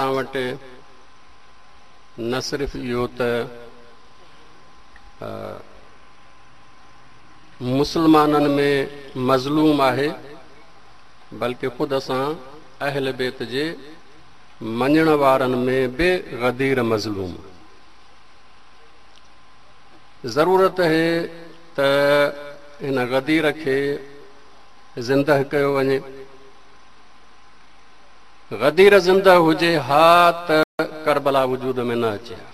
اسان وٽ نه صرف اهو ته مسلمانن ۾ مظلوم آهي بلڪه خود اسان اهل بيت جي مڃڻ وارن ۾ به غدير مظلوم. ضرورت آهي ته هن غدير کي زنده ڪيو وڃي. غدير زنده هجي ها ته ڪربلا وجود ۾ نه اچي ها.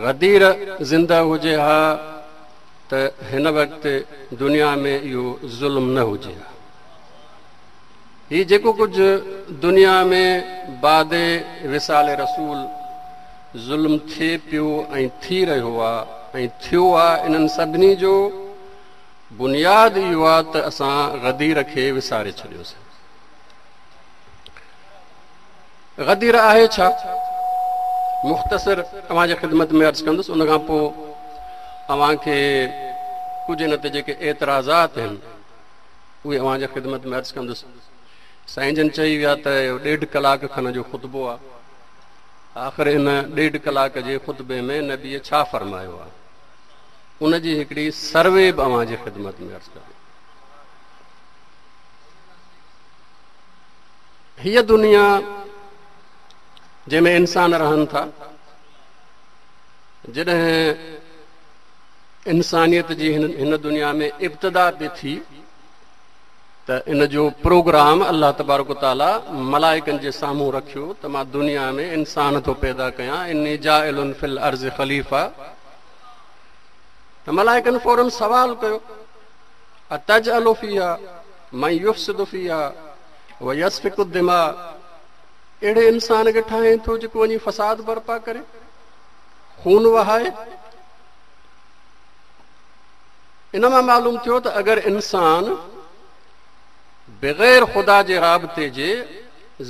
غدير زنده هجي ها ته هن وقت دنيا ۾ اهو ظلم نه هجي ها. هي جيڪو ڪجهه دنيا ۾ بعد وصال رسول ظلم ٿئي پيو ۽ ٿي رهيو آ ۽ ٿيو آ، انهن سڀني جو بنياد اهو آ ته اسان غدير کي وساري ڇڏيوسين. غدير آهي ڇا؟ مختصر اوهان جي خدمت ۾ عرض ڪندس، ان کان پوء اوهان کي ڪجهه ان تي جيڪي اعتراضات آهن اهي اوهان جي خدمت ۾ عرض ڪندس. سائين جن چئي ويا ته اهو 1.5 ڪلاڪ کن جو خطبو آ. آخر ان 1.5 ڪلاڪ جي خطبي ۾ نبيء ڇا فرمايو آ، ان جي هڪڙي سروي به اوهان جي خدمت ۾ عرض ڪريان. هيء دنيا جنهن ۾ انسان رهن ٿا، جڏهن انسانيت جي هن دنيا ۾ ابتدا پئي ٿي ته ان جو پروگرام الله تبارڪ و تعاليٰ ملائڪن جي سامهون رکيو ته مان دنيا ۾ انسان ٿو پيدا ڪيان، اني جاعل في الارض خليفه. ته ملائڪن فوراً سوال ڪيو، اتجعل فيها من يفسد فيها ويسفك الدماء، اهڙي انسان کي ٺاهين ٿو جيڪو وڃي فساد برپا ڪري، خون وهائي. ان مان معلوم ٿيو ته اگر انسان بغير خدا جي رابطي جي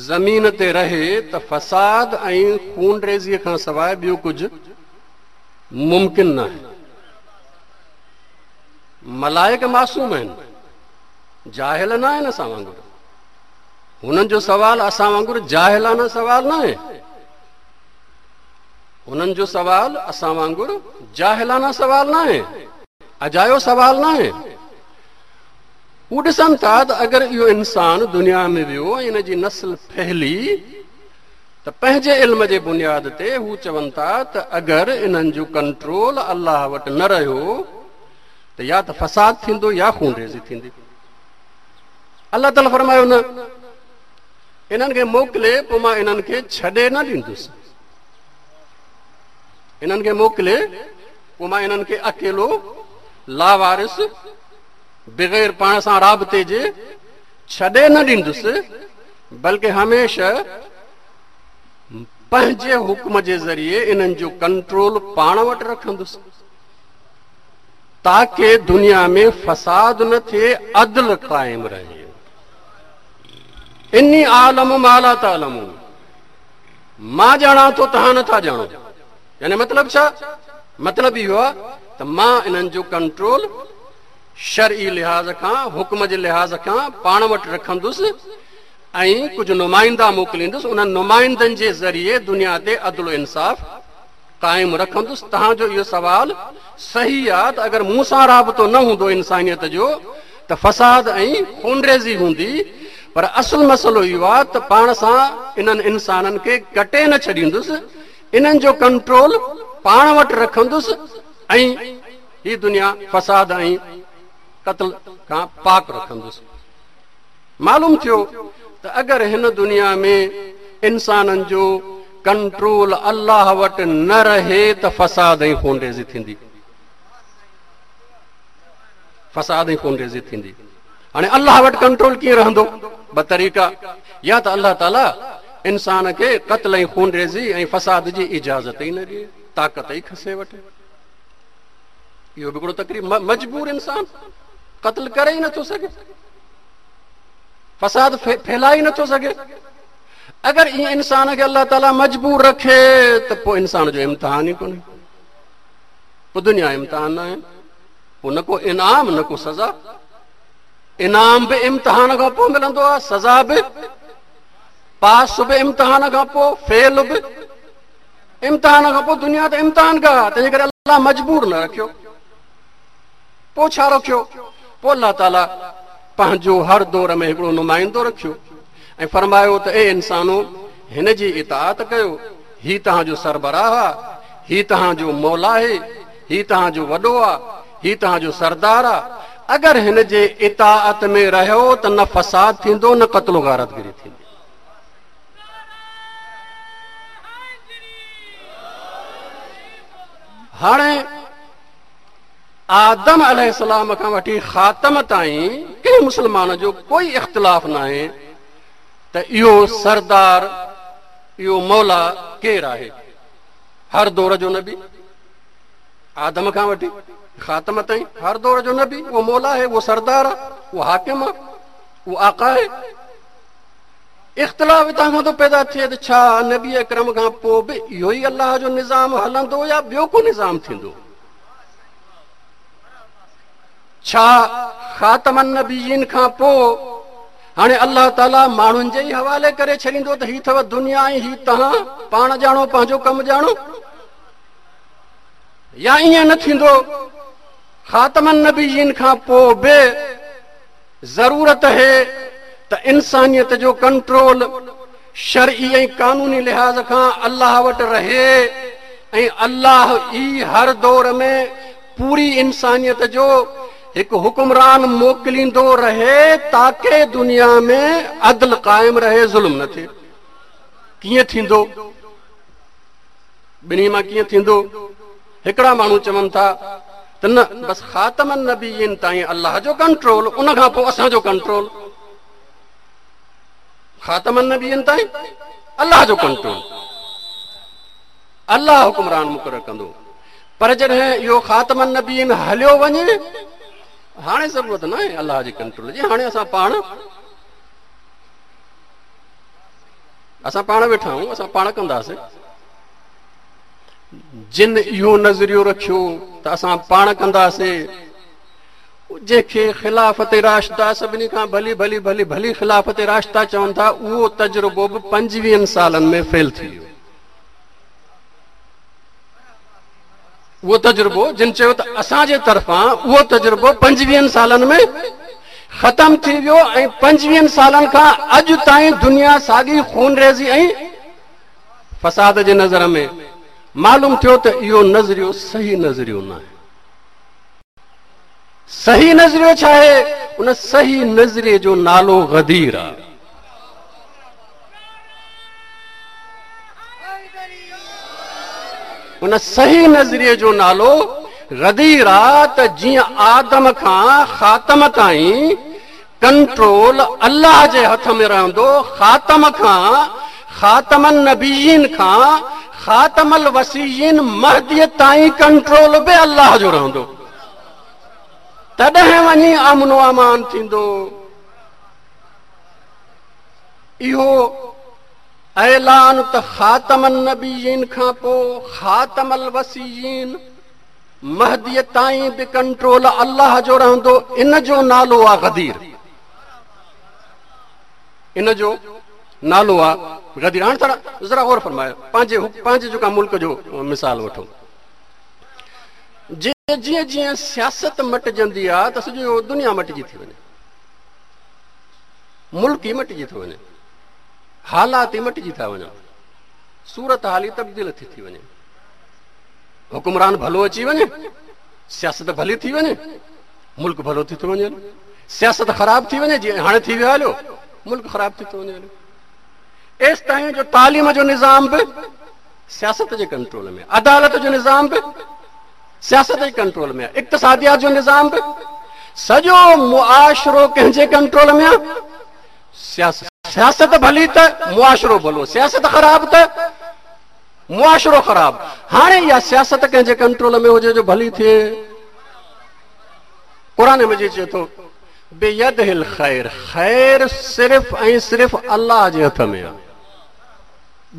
زمين تي رهي ته فساد ۽ خونريزيء کان سواء ٻيو ڪجهه ممڪن ناهي. ملائڪ معصوم آهن، جاهل نه آهن اسان وانگر. هنن جو سوال اسان وانگر جاهلانه سوال ناهي. هنن جو سوال اسان وانگر جاهلانه سوال ناهي، اجايو سوال ناهي. هو ڏسن ٿا ته اگر اهو انسان دنيا ۾ ويو ۽ ان جي نسل ڦهلي ته پنهنجي علم جي بنياد تي هو چون ٿا ته اگر انهن جو ڪنٽرول الله وٽ نه رهيو ته يا ته فساد ٿيندو يا خونريزي ٿيندي. الله تعاليٰ فرمايو نه، انهن کي موڪلي پوء مان انهن کي ڇڏي نه ڏيندس. انهن کي موڪلي پوء مان انهن کي اڪيلو لاوارث بغير پاڻ سان رابطي جي ڇڏي نه ڏيندس، بلڪه هميشه پنهنجي حڪم جي ذريعي انهن جو ڪنٽرول پاڻ وٽ رکندس، تاڪه دنيا ۾ فساد نه ٿئي، عدل قائم رهي. اني اعلم ما لا تعلمون، مان ڄاڻان ٿو توهان نٿا ڄاڻو. يعني مطلب ڇا؟ مطلب اهو آهي ته مان انهن جو ڪنٽرول شرعي لحاظ کان، حڪم جي لحاظ کان پاڻ وٽ رکندس ۽ ڪجهه نمائندا موڪليندس، انهن نمائندن جي ذريعي دنيا تي عدل و انصاف قائم رکندس. توهان جو اهو سوال صحيح آهي ته اگر مون سان رابطو نه هوندو انسانيت جو ته فساد ۽ خونريزي هوندي، پر اصل مسئلو اهو آهي ته پاڻ سان انهن انسانن کي ڪٽي نه ڇڏيندس، انهن جو ڪنٽرول پاڻ وٽ رکندس ۽ هي دنيا فساد ۽ قتل کان پاڪ رکندس. معلوم ٿيو ته اگر هن دنيا ۾ انسانن جو ڪنٽرول الله وٽ نه رهي ته فساد ۽ خونريزي ٿيندي، فساد ۽ خونريزي ٿيندي. هاڻي الله وٽ ڪنٽرول ڪيئن رهندو؟ ٻه طريقا، يا ته الله تعاليٰ انسان کي قتل ۽ خونريزي ۽ فساد جي اجازت ئي نه ڏئي، طاقت ئي کسي وٺي. اهو به هڪڙو تقريب، مجبور انسان قتل ڪري ئي نٿو سگهي، فساد ڦهلائي ئي نٿو سگهي. اگر ائين انسان کي الله تعاليٰ مجبور رکي ته پوء انسان جو امتحان ئي ڪونهي، پوء دنيا امتحان نه آهي، پوء نه ڪو انعام نه ڪو سزا. انعام به امتحان کان پوء ملندو آهي، سزا به پاس به امتحان کان پوء، فيل به امتحان کان پوء. دنيا ته امتحان گاهه، تنهنجي ڪري الله مجبور نه رکيو. پوء ڇا رکيو؟ پوء الله تعاليٰ پنهنجو هر دور ۾ هڪڙو نمائندو رکيو ۽ فرمايو ته اي انسانو، هن جي اطاعت ڪيو، هي توهان جو سربراهه آ، هي توهان جو مولا آهي، هي توهان جو وڏو آ، هي توهان جو سردار آ. اگر هن جي اطاعت ۾ رهيو ته نه فساد ٿيندو، نه قتل و غارتگري ٿيندي. هاڻي آدم عليه السلام کان وٺي خاتم تائين ڪنهن مسلمان جو ڪوئي اختلاف ناهي ته اهو سردار، اهو مولا ڪير آهي. هر دور جو نبي، آدم کان وٺي خاتم تائين هر دور جو نبي اهو مولا آهي، اهو سردار آهي، اهو حاڪم آهي، اهو آقا آهي. اختلاف اتان کان ٿو پيدا ٿئي ته ڇا نبي اڪرم کان پوء به اهو ئي الله جو نظام هلندو يا ٻيو ڪو نظام ٿيندو؟ ڇا خاتم النبيين کان پوء هاڻي الله تعاليٰ ماڻهن جي ئي حوالي ڪري ڇڏيندو ته هي اٿو دنيا ۽ هي توهان پاڻ ڄاڻو، پنهنجو ڪم ڄاڻو؟ يا ائين نه ٿيندو، خاتم النبيين کان پوء به ضرورت آهي ته انسانيت جو ڪنٽرول شرعي ۽ قانوني لحاظ کان الله وٽ رهي ۽ الله ئي هر دور ۾ پوري انسانيت جو هڪ حڪمران موڪليندو رهي تاڪه دنيا ۾ عدل قائم رهي، ظلم نه ٿئي. ڪيئن ٿيندو؟ ٻنهي مان ڪيئن ٿيندو؟ هڪڙا ماڻهو چون ٿا ته نه، بس خاتم النبيين تائين الله جو ڪنٽرول، ان کان پوء اسان جو ڪنٽرول. خاتم النبيين تائين الله جو ڪنٽرول، الله حڪمران مقرر ڪندو، پر جڏهن اهو خاتم النبيين هليو وڃي، هاڻي ضرورت نه آهي الله جي ڪنٽرول جي، هاڻي اسان پاڻ ويٺا آهيون، اسان پاڻ ڪنداسين. جن اهو نظريو رکيو ته اسان پاڻ ڪنداسين، جنهن کي خلافت راشده سڀني کان ڀلي ڀلي ڀلي ڀلي خلافت راشده چون ٿا، اهو تجربو به 25 سالن ۾ فيل ٿي ويو. اهو تجربو جن چيو ته اسان جي طرفان، اهو تجربو 25 سالن ۾ ختم ٿي ويو ۽ 25 سالن کان اڄ تائين دنيا ساڳي خونريزي ۽ فساد جي نظر ۾. معلوم ٿيو ته اهو نظريو صحيح نظريو نه آهي. صحيح نظريو ڇا آهي؟ ان صحيح نظريي جو نالو غدير آهي. ان صحيح نظريي جو نالو غدير آ ته جيئن آدم کان خاتم تائين ڪنٽرول الله جي هٿ ۾ رهندو، خاتم کان، خاتم النبيين کان خاتم الوصيين مهدي تائين ڪنٽرول به الله جو رهندو، تڏهن وڃي امن و امان ٿيندو. اهو اعلان ته خاتم النبيين کان پوء خاتم الوصيين مهدي تائين به ڪنٽرول الله جو رهندو، ان جو نالو آ غدير، ان جو نالو آ غدير. هاڻي ٿورا ذرا غور فرمايو، پنهنجي جيڪا ملڪ جو مثال وٺو، جيئن جيئن سياست مٽجندي آ ته سڄو دنيا مٽجي ٿي وڃي، ملڪ ئي مٽجي ٿو وڃي، حالات ئي مٽجي ٿا وڃن، صورت حال ئي تبديل ٿي ٿي وڃي. حڪمران ڀلو اچي وڃي، سياست ڀلي ٿي وڃي، ملڪ ڀلو ٿي ٿو وڃي. سياست خراب ٿي وڃي، جيئن هاڻي ٿي ويو هليو، ملڪ خراب ٿي ٿو وڃي هليو. ايس تائين جو تعليم جو نظام به سياست جي ڪنٽرول ۾، عدالت جو نظام به سياست جي ڪنٽرول ۾، اقتصاديات جو نظام به، سڄو معاشرو ڪنهن جي ڪنٽرول ۾ آهي؟ سياست. سياست ڀلي ته معاشرو ڀلو، سياست خراب ته معاشرو خراب. هاڻي اها سياست ڪنهن جي ڪنٽرول ۾ هجي جو ڀلي ٿئي؟ قرآن مجيد چئي ٿو بيده الخير، خير صرف ۽ صرف الله جي هٿ ۾ آهي،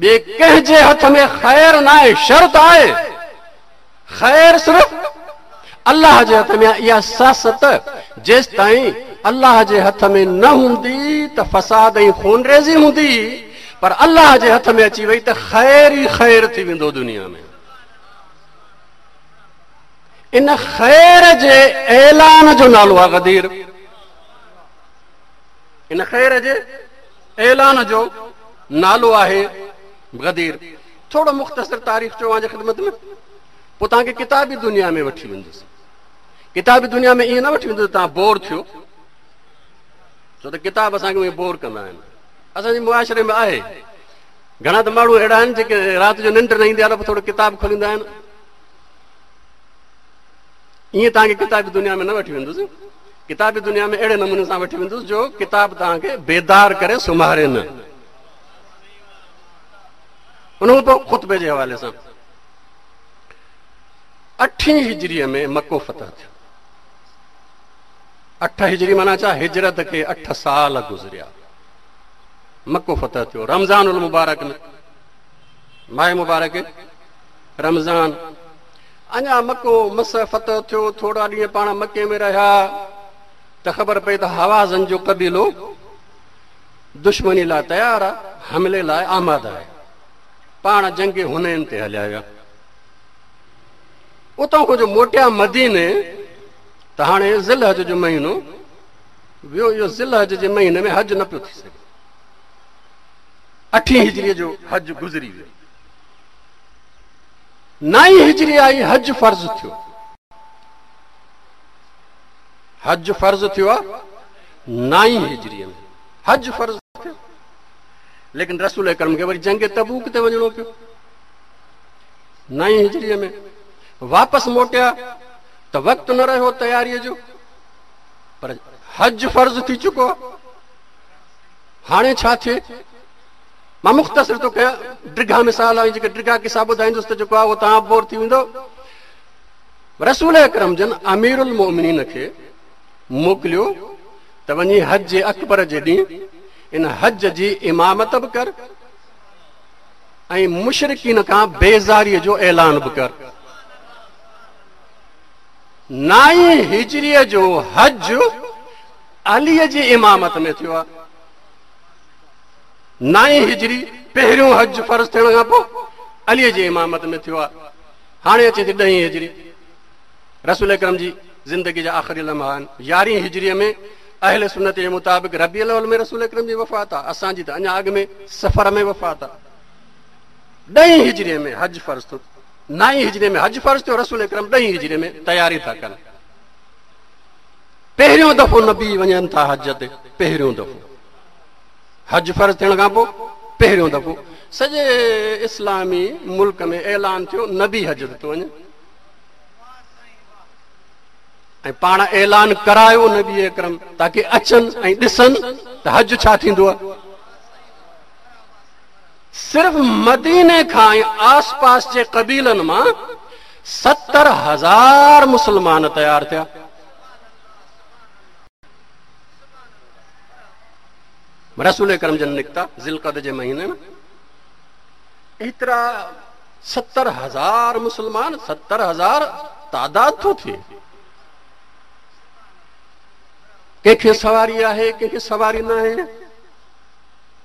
ٻئي ڪنهن جي هٿ ۾ خير نه آهي، شر ته آهي، خير صرف الله جي هٿ ۾ آهي. اها سياست جيستائين الله جي هٿ ۾ نه هوندي ته فساد ۽ خونريزي هوندي، پر الله جي هٿ ۾ اچي وئي ته خير ئي خير ٿي ويندو دنيا ۾. ان خير جي اعلان جو نالو آهي غدير. ان خير جي اعلان جو نالو آهي غدير. ٿورو مختصر تاريخ چوان جي خدمت ۾، پوء توهان کي ڪتابي دنيا ۾ وٺي ويندس. ڪتابي دنيا ۾ ائين نه وٺي ويندس توهان بور ٿيو، ڇو ته ڪتاب اسان کي اهي بور ڪندا آهن. اسان جي معاشري ۾ آهي گهڻا ته ماڻهو اهڙا آهن جيڪي رات جو ننڊ نه ايندي آهي ته ٿورو ڪتاب کوليندا آهن. ائين توهان کي ڪتابي دنيا ۾ نه وٺي ويندس. ڪتابي دنيا ۾ اهڙي نموني سان وٺي ويندس جو ڪتاب توهان کي بيدار ڪري سمهاري نه. ان کان پوء خطبي جي حوالي سان اٺين هجريء ۾ مڪو فتح ٿيو. اٺ هجري معنيٰ ڇا؟ هجرت کي 8 سال گذريا. مڪو فتح ٿيو رمضان المبارڪ ۾، ماهه مبارڪ رمضان. اڃا مڪو مس فتح ٿيو، ٿورا ڏينهن پاڻ مڪي ۾ رهيا ته خبر پئي ته هوازن جو قبيلو دشمني لاء تيار آهي، حملي لاء آماده آهي. پاڻ جنگ حنين تي هليا ويا. اتان کان جو موٽيا مديني ته هاڻي ذوالحج جو مهينو ويو. اهو ذوالحج جي مهيني ۾ حج نه پيو ٿي سگهي. اٺين هجريء جو حج گذري ويو. نائين هجري آئي، حج فرض ٿيو. حج فرض ٿيو آ نائين هجريء ۾ حج فرض ٿيو. ليڪن رسول اڪرم کي وري جنگ تبوڪ تي وڃڻو پيو. نائين هجريء ۾ واپس موٽيا ته وقت نه رهيو تياريء جو، پر حج فرض ٿي چڪو. هاڻي ڇا ٿئي؟ مان مختصر ٿو ڪيان، ڊگها مثال آهن، جيڪي ڊگها قصا ٻڌائيندس ته جيڪو آهي اهو توهان بور ٿي ويندو. رسول اڪرم جن امير المؤمنين کي موڪليو ته وڃي حج اڪبر جي ڏينهن ان حج جي امامت به ڪر ۽ مشرڪين کان بيزاريء جو اعلان به ڪر. نائين هجريء جو حج عليء جي امامت ۾ ٿيو آهي. نائين هجري پهريون حج فرض ٿيڻ کان پوء عليء جي امامت ۾ ٿيو آهي. هاڻي اچي ٿي ڏهين هجري، رسول اڪرم جي زندگي جا آخري لمحا آهن. يارهين هجريء ۾ اهل سنت جي مطابق ربيع الاول ۾ رسول اڪرم جي وفات آهي، اسان جي ته اڃا اڳ ۾ صفر ۾ وفات آهي. ڏهين هجريء ۾ حج فرض ٿيو، نائين هجريء ۾ حج فرض ٿيو، رسول اڪرم ڏهين هجريء ۾ تياري ٿا ڪن. پهريون دفعو نبي وڃن ٿا حج تي، پهريون دفعو حج فرض ٿيڻ کان پوء پهريون دفعو سڄي اسلامي ملڪ ۾ اعلان ٿيو نبي حج تي ٿو وڃي، ۽ پاڻ اعلان ڪرايو نبي اڪرم تاڪه اچن ۽ ڏسن ته حج ڇا ٿيندو آهي. صرف مديني کان ۽ آس پاس جي قبيلن مان 70,000 مسلمان تيار ٿيا. رسول اڪرم جن نڪتا ذوالقعد جي مهيني ۾، ايترا 70,000 مسلمان، 70,000 تعداد ٿو ٿئي. ڪنهن کي سواري آهي، ڪنهن کي سواري ناهي،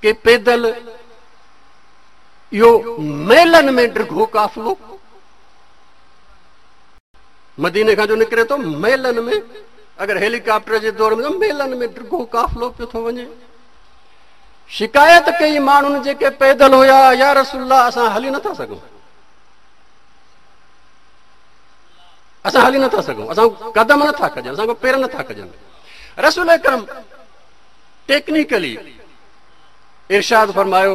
ڪي پيدل. اهو ميلن ۾ ڊگهو قافلو مديني کان جو نڪري ٿو، ميلن ۾، اگر هيلي ڪاپٽر جي دور ۾ ميلن ۾ ڊگهو قافلو پيو ٿو وڃي. شڪايت ڪئي ماڻهن جيڪي پيدل هيا، يا رسول الله اسان هلي نٿا سگهون، اسان هلي نٿا سگهون، اسان قدم نٿا کڄن، اسان کان پير نٿا کڄن. رسول اڪرم ٽيڪنيڪلي ارشاد فرمايو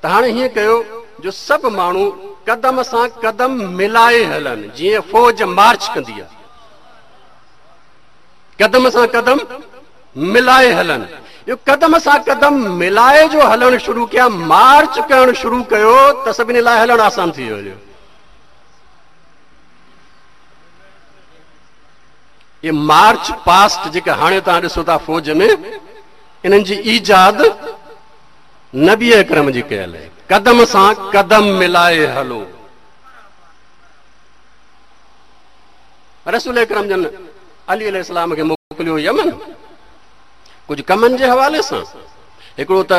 ته هاڻي هيئن ڪيو جو سڀ ماڻهو قدم سان قدم ملائي هلن، جيئن فوج مارچ ڪندي آهي، قدم سان قدم ملائي هلن. اهو قدم سان قدم ملائي جو هلڻ شروع ڪيا، مارچ ڪرڻ شروع ڪيو ته سڀني لاء هلڻ آسان ٿي ويو. اهي مارچ پاسٽ جيڪا هاڻي توهان ڏسو ٿا فوج ۾، انهن جي ايجاد نبي اڪرم جي ڪيل آهي. قدم سان قدم ملائي هلو. رسول اڪرم جن علي عليه السلام کي موڪليو يمن ڪجهه ڪمن جي حوالي سان. हिकिड़ो त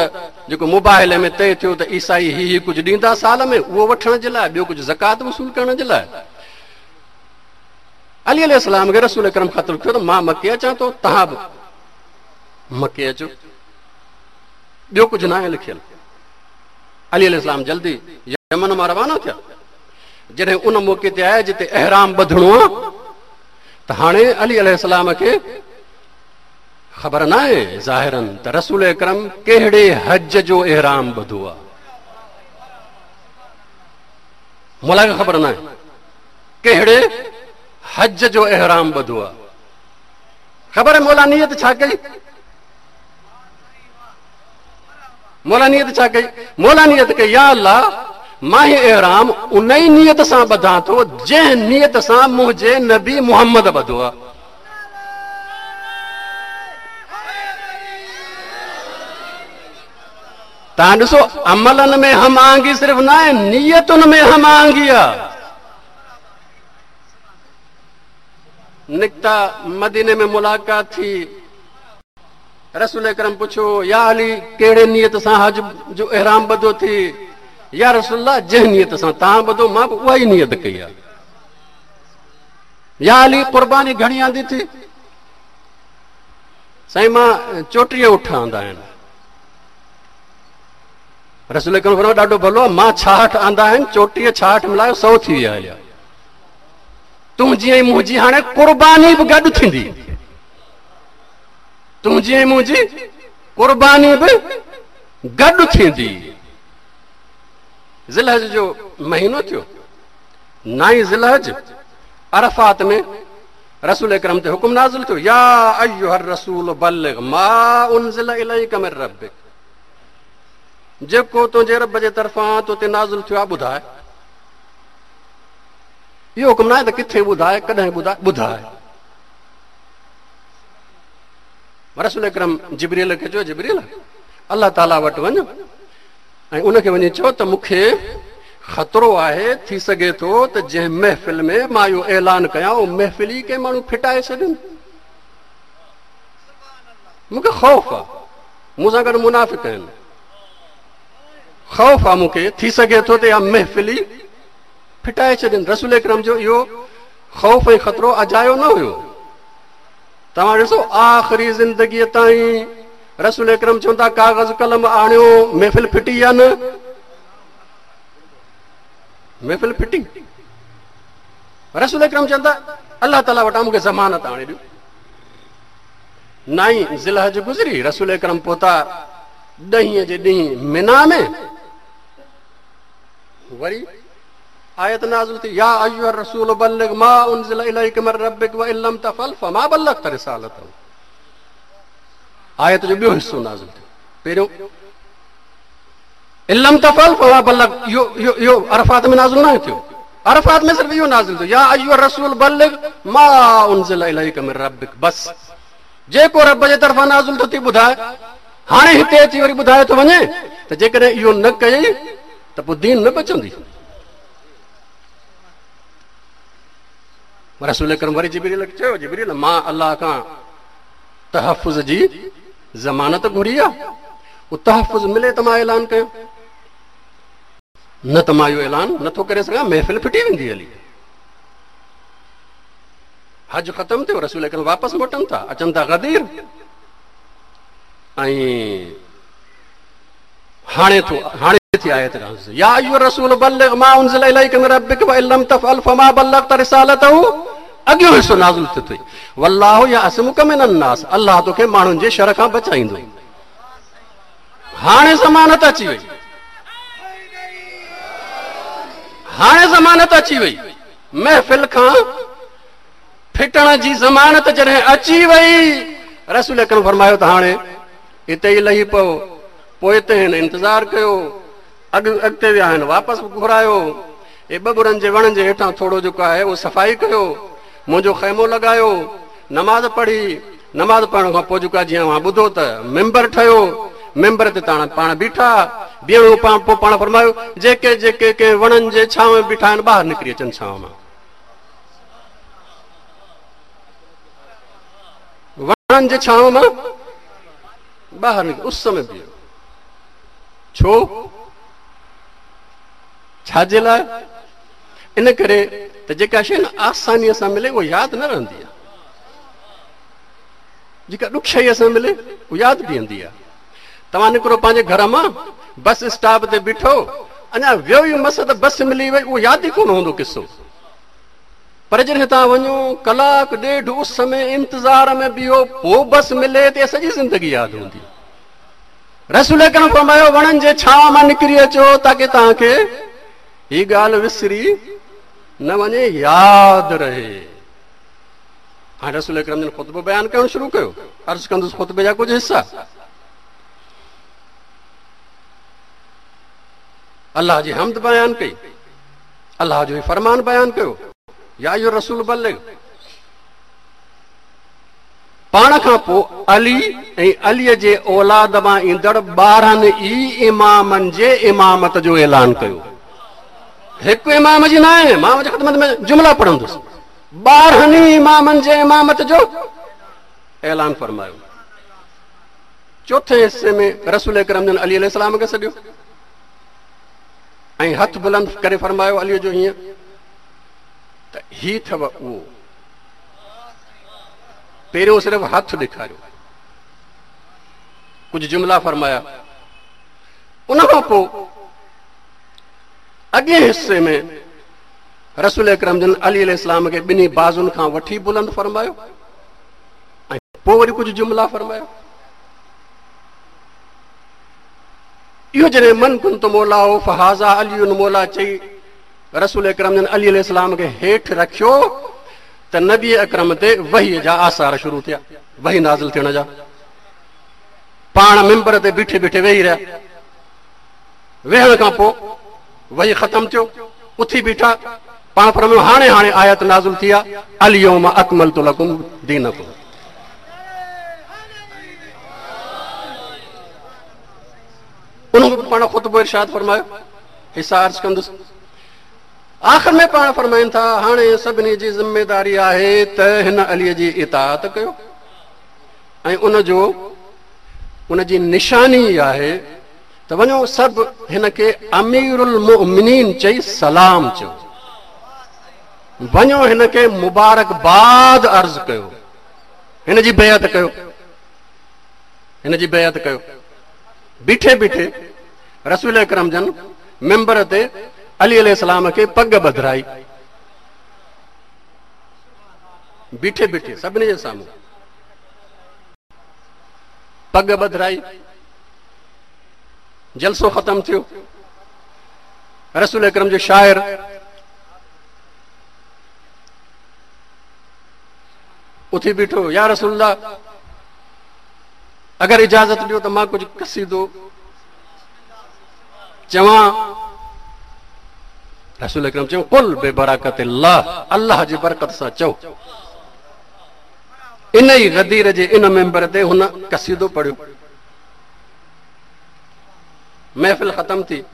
जेको मुबाहिले में तय थियो त ईसाई ही ही कुझु ॾींदा साल में, उहो वठण जे लाइ, ॿियो कुझु ज़कात वसूल करण जे लाइ। अली अलैहिस्सलाम खे रसूल अकरम ख़त लिखियो त मां मके अचां थो, तव्हां बि मके अचो, ॿियो कुझु न आहे लिखियल। अली अलैहिस्सलाम जल्दी यमन मां रवाना थिया। जॾहिं उन मौक़े ते आया जिते अहराम ॿधणो आहे, त हाणे अली अलैहिस्सलाम खे ख़बर न आहे ज़ाहिरन त रसूल अकरम कहिड़े हज जो अहराम ॿधो आहे, मौला खे ख़बर न आहे कहिड़े हज जो अहराम ॿधो आहे। ख़बर आहे मौला नियत छा कई? मौला नियत छा कई? मौला नियत कई, या अल्लाह मां ही अहराम उन ई नियत सां ॿधां थो जंहिं नियत सां मुंहिंजे नबी मोहम्मद ॿधो आहे। तव्हां ॾिसो अमलनि में हम आहंगी सिर्फ़ न आहे, नियतुनि में हम आहंगी आहे। निकिता मदीने में मुलाक़ात थी, रसूल अकरम पुछो या अली कहिड़े नियत सां हज जो अहराम ॿधो थी? या रसूलुल्लाह जंहिं नियत सां तव्हां ॿधो मां बि उहा ई नियत कई आहे। या अली क़ुर्बानी घणी आंदी थी? साईं मां 34 उठ आंदा आहिनि। रसूल अकरम फरमायो ॾाढो भलो, मां 66 आंदा आहिनि, 34 66 मिलायो 100 थी विया हलिया। तुंहिंजी ऐं मुंहिंजी हाणे क़ुर्बानी बि गॾु थींदी, तुंहिंजी ऐं मुंहिंजी क़ुर्बानी बि गॾु थींदी। ज़िलहज जो महीनो थियो, 9 ज़िलहज, अरफात में रसूल अकरम ते हुकुम नाज़िल थियो, या अय्युहर रसूल बल्लिग मा उनज़िल इलैका मिन रब्बिक, जेको तुंहिंजे रब जे तरफ़ां तो ते नाज़िल थियो आहे ॿुधाए। इहो हुकुम न आहे त किथे ॿुधाए, कॾहिं ॿुधाए, ॿुधाए। रसूल अकरम जिब्रील खे चयो, जिब्रील अल्लाह ताला वटि वञ ऐं उनखे वञी चओ त मूंखे ख़तरो आहे, थी सघे थो त जंहिं महफ़िल में मां इहो ऐलान कयां उहो महफ़िल ई कंहिं माण्हू फिटाए छॾनि, मूंखे ख़ौफ़ आहे, मूंसां गॾु मुनाफ़िक आहिनि, ख़ौफ़ आहे मूंखे, थी सघे थो त इहा महफ़िल ई फिटाए छॾनि। रसूल अकरम जो इहो ख़ौफ़ ऐं ख़तरो अजायो न हुयो। तव्हां ॾिसो आख़िरी ज़िंदगीअ ताईं रसूल अकरम चवंदा काग़ज़ कलम आणियो, महफ़िल फिटी या न? महफ़िल फिटी। रसूल अकरम चवंदा अल्लाह ताला वटां मूंखे ज़मानत आणे ॾियो। 9 ज़िलहज गुज़री, रसूल अकरम पहुता 10 जे ॾींहुं मिना में, वरी आयत नाज़िल थी, या अय्युहर रसूल बल्लिग मा उनज़िल इलैका मिन रब्बिक व इन लम तफ़अल फमा बल्लगत रिसालतहू। आयत जो ॿियो हिसो नाज़िल थियो। पहिरियों इन लम तफ़अल फमा बल्लग, इहो इहो इहो अरफात में नाज़िल न थियो, अरफात में सिर्फ़ इहो नाज़िल थियो, या अय्युहर रसूल बल्लिग मा उनज़िल इलैका मिन रब्बिक, बस जेको रब जे तरफ़ां नाज़िल थो थी ॿुधाए। हाणे हिते अची वरी ॿुधाए थो वञे त जेकॾहिं इहो न कयई त पोइ दीन न बचंदी। रसूल अकरम वरी जिब्रील खे चयो, जिब्रील मां अल्लाह खां तहफ़ुज़ जी ज़मानत घुरी आहे, उहो तहफ़ुज़ मिले त मां ऐलान कयो, न त मां इहो ऐलान नथो करे सघां, महफ़िल फिटी वेंदी हली। हज ख़तमु थियो, रसूल अकरम वापसि मोटनि था, अचनि था गदीर, ऐं हाणे थो हाणे थी आयत नाज़िल, या अय्युहर रसूल बल्लिग मा उनज़िल इलैका मिन रब्बिक व इन लम तफ़अल फमा बल्लगत रिसालतहू। अॻियों हिसो नाज़िल थियो अथई, वल्लाहु यअसमुक मिनन नास, अल्लाह तोखे माण्हुनि जे शर खां बचाईंदो। हाणे ज़मानत अची वई, हाणे ज़मानत अची वई, महफ़िल खां फिटण जी ज़मानत जॾहिं अची वई, रसूल अकरम फरमायो त हाणे हिते ई लही पओ। पोइ ते हिन इंतज़ार कयो, अॻिते विया आहिनि वापसि घुरायो, हे ॿबुरनि जे वणनि जे हेठां थोरो जेको आहे उहो सफ़ाई कयो, मुंहिंजो ख़ैमो लॻायो, नमाज़ पढ़ी, नमाज़ पढ़ण खां पोइ जेको आहे जीअं मां ॿुधो त मेंबर ठहियो, मेंबर ते तव्हां पाण बीठा, बीहणो पोइ पाण फरमायो जेके जेके कंहिं वणनि जे छांव में बीठा आहिनि ॿाहिरि निकिरी अचनि छांव मां, वणनि जे छांव मां ॿाहिरि निकिरी उस में बीहो। ڇو؟ ڇا جي لاء؟ ان ڪري ته جيڪا شيء نه آسانيء سان ملي اها ياد نه رهندي آهي. جيڪا ڏکيائيء سان ملي اها ياد بيهندي آهي. توهان نڪرو پنهنجي گهر مان، بس اسٽاپ تي بيٺو، اڃا ويو ئي مس ته بس ملي وئي، اهو ياد ئي ڪونه هوندو قصو. پر جڏهن توهان وڃو، ڪلاڪ ڏيڍ اس ۾ انتظار ۾ بيهو، پوء بس ملي ته اها سڄي زندگي ياد هوندي. رسول اڪرم فرمايو، وڻن جي ڇانو مان نڪري اچو تاڪه توهان کي هي ڳالهه وسري نه وڃي، ياد رهي. هاڻي رسول اڪرم جن خطبو بيان ڪرڻ شروع ڪيو. عرض ڪندس خطبي جا ڪجهه حصا. الله جي حمد بيان ڪئي، الله جو فرمان بيان ڪيو، يا ايها الرسول بلغ. پاڻ کان پوء علي ۽ علي جي اولاد مان ايندڙ 12 ئي امامن جي امامت جو اعلان ڪيو. هڪ امام جي ناهي، مان اوهان جي خدمت ۾ جملا پڙهندس. 12 ئي امامن جي امامت جو اعلان فرمايو. چوٿين حصي ۾ رسول اڪرم جن علي عليه السلام کي سڏيو ۽ هٿ بلند ڪري فرمايو علي جو هيئن ته هي اٿو اهو. پهريون صرف هٿ ڏيکاريو، ڪجهه جملا فرمايا. ان کان پوء اڳئين حصي ۾ رسول اڪرم جن علي عليه السلام کي ٻنهي بازن کان وٺي بلند فرمايو ۽ پوء وري ڪجهه جملا فرمايا. اهو جڏهن من ڪنت مولاه فهذا علي مولا چئي رسول اڪرم جن علي عليه السلام کي هيٺ رکيو ته نبي اڪرم تي وحي جا آثار شروع ٿيا، وحي نازل ٿيڻ جا. پاڻ منبر تي بيٺي بيٺي ويهي رهيا. ويهڻ کان پوء وحي ختم ٿيو، اٿي بيٺا. پاڻ فرمايو هاڻي هاڻي آيت نازل ٿي آ، اليوم اڪملت لڪم دينڪم. ان کان پوء پاڻ خطبو ارشاد فرمايو، حصا عرض ڪندس. آخر ۾ پاڻ فرمائن ٿا هاڻي سڀني جي ذميداري آهي ته هن علي جي اطاعت ڪيو ۽ ان جو ان جي نشاني آهي ته وڃو سڀ هن کي امير المؤمنين چئي سلام چئو، وڃو هن کي مبارڪباد عرض ڪيو، هن جي بيعت ڪيو، هن جي بيعت ڪيو. بيٺي بيٺي رسول اڪرم جن منبر تي علي عليه السلام کي پڳ ٻڌرائي، بيٺي بيٺي سڀني جي سامهون پڳ ٻڌرائي. جلسو ختم ٿيو. رسول اڪرم جو شاعر اٿي بيٺو، يا رسول الله اگر اجازت ڏيو ته مان ڪجهه قصيدو چوان. رسول اڪرم چيو قل ببرڪت الله، الله جي برڪت سان چئو. ان ئي غدير جي ان منبر تي هن قصيدو پڙهيو. محفل ختم ٿي،